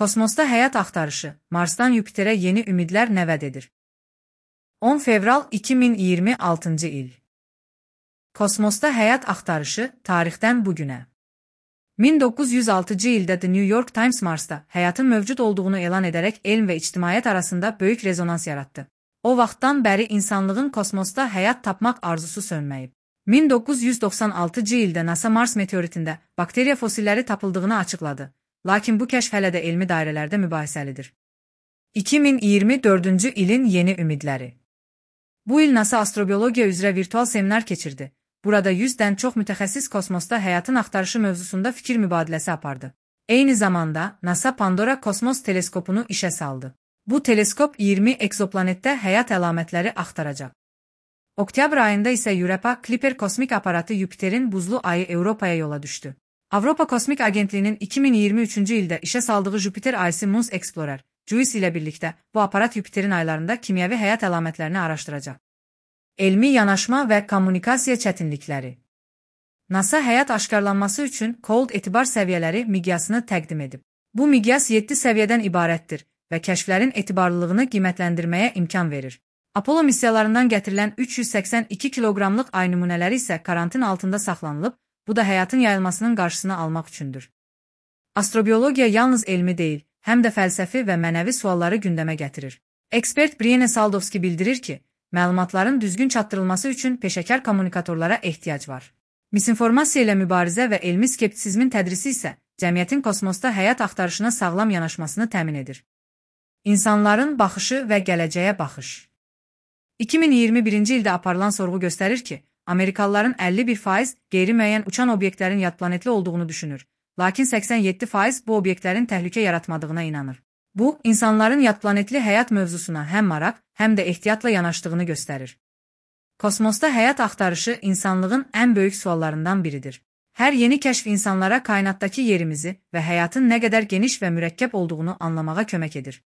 Kosmosda həyat axtarışı, Marsdan Yupiterə yeni ümidlər nə vəd edir? 10 fevral 2026-cı il. Kosmosda həyat axtarışı tarixdən bugünə. 1906-cı ildə The New York Times Marsda həyatın mövcud olduğunu elan edərək elm və ictimaiyyət arasında böyük rezonans yaratdı. O vaxtdan bəri insanlığın kosmosda həyat tapmaq arzusu sönməyib. 1996-cı ildə NASA Mars meteoritində bakteriya fosilləri tapıldığını açıqladı. Lakin bu kəşf hələ də elmi dairələrdə mübahisəlidir. 2024-cü ilin yeni ümidləri. Bu il NASA astrobiologiya üzrə virtual seminar keçirdi. Burada 100-dən çox mütəxəssis kosmosda həyatın axtarışı mövzusunda fikir mübadiləsi apardı. Eyni zamanda NASA Pandora kosmos teleskopunu işə saldı. Bu teleskop 20 egzoplanetdə həyat əlamətləri axtaracaq. Oktyabr ayında isə Europa Clipper kosmik aparatı Yupiterin buzlu ayı Avropaya yola düşdü. Avropa Kosmik Agentliyinin 2023-cü ildə işə saldığı Jupiter ayısı Moons Explorer, JUICE ilə birlikdə bu aparat Yupiterin aylarında kimyəvi həyat əlamətlərini araşdıracaq. Elmi yanaşma və kommunikasiya çətinlikləri. NASA həyat aşkarlanması üçün Cold etibar səviyyələri miqyasını təqdim edib. Bu miqyas 7 səviyyədən ibarətdir və kəşflərin etibarlılığını qiymətləndirməyə imkan verir. Apollo missiyalarından gətirilən 382 kiloqramlıq ay nümunələri isə karantin altında saxlanılıb, bu da həyatın yayılmasının qarşısını almaq üçündür. Astrobiologiya yalnız elmi deyil, həm də fəlsəfi və mənəvi sualları gündəmə gətirir. Ekspert Brienne Saldovski bildirir ki, məlumatların düzgün çatdırılması üçün peşəkar kommunikatorlara ehtiyac var. Misinformasiya ilə mübarizə və elmi skeptisizmin tədrisi isə cəmiyyətin kosmosda həyat axtarışına sağlam yanaşmasını təmin edir. İnsanların baxışı və gələcəyə baxış. 2021-ci ildə aparılan sorğu göstərir ki, Amerikalıların 51% qeyri-müəyyən uçan obyektlərin yadplanetli olduğunu düşünür, lakin 87% bu obyektlərin təhlükə yaratmadığına inanır. Bu, insanların yadplanetli həyat mövzusuna həm maraq, həm də ehtiyatla yanaşdığını göstərir. Kosmosda həyat axtarışı insanlığın ən böyük suallarından biridir. Hər yeni kəşf insanlara kainatdakı yerimizi və həyatın nə qədər geniş və mürəkkəb olduğunu anlamağa kömək edir.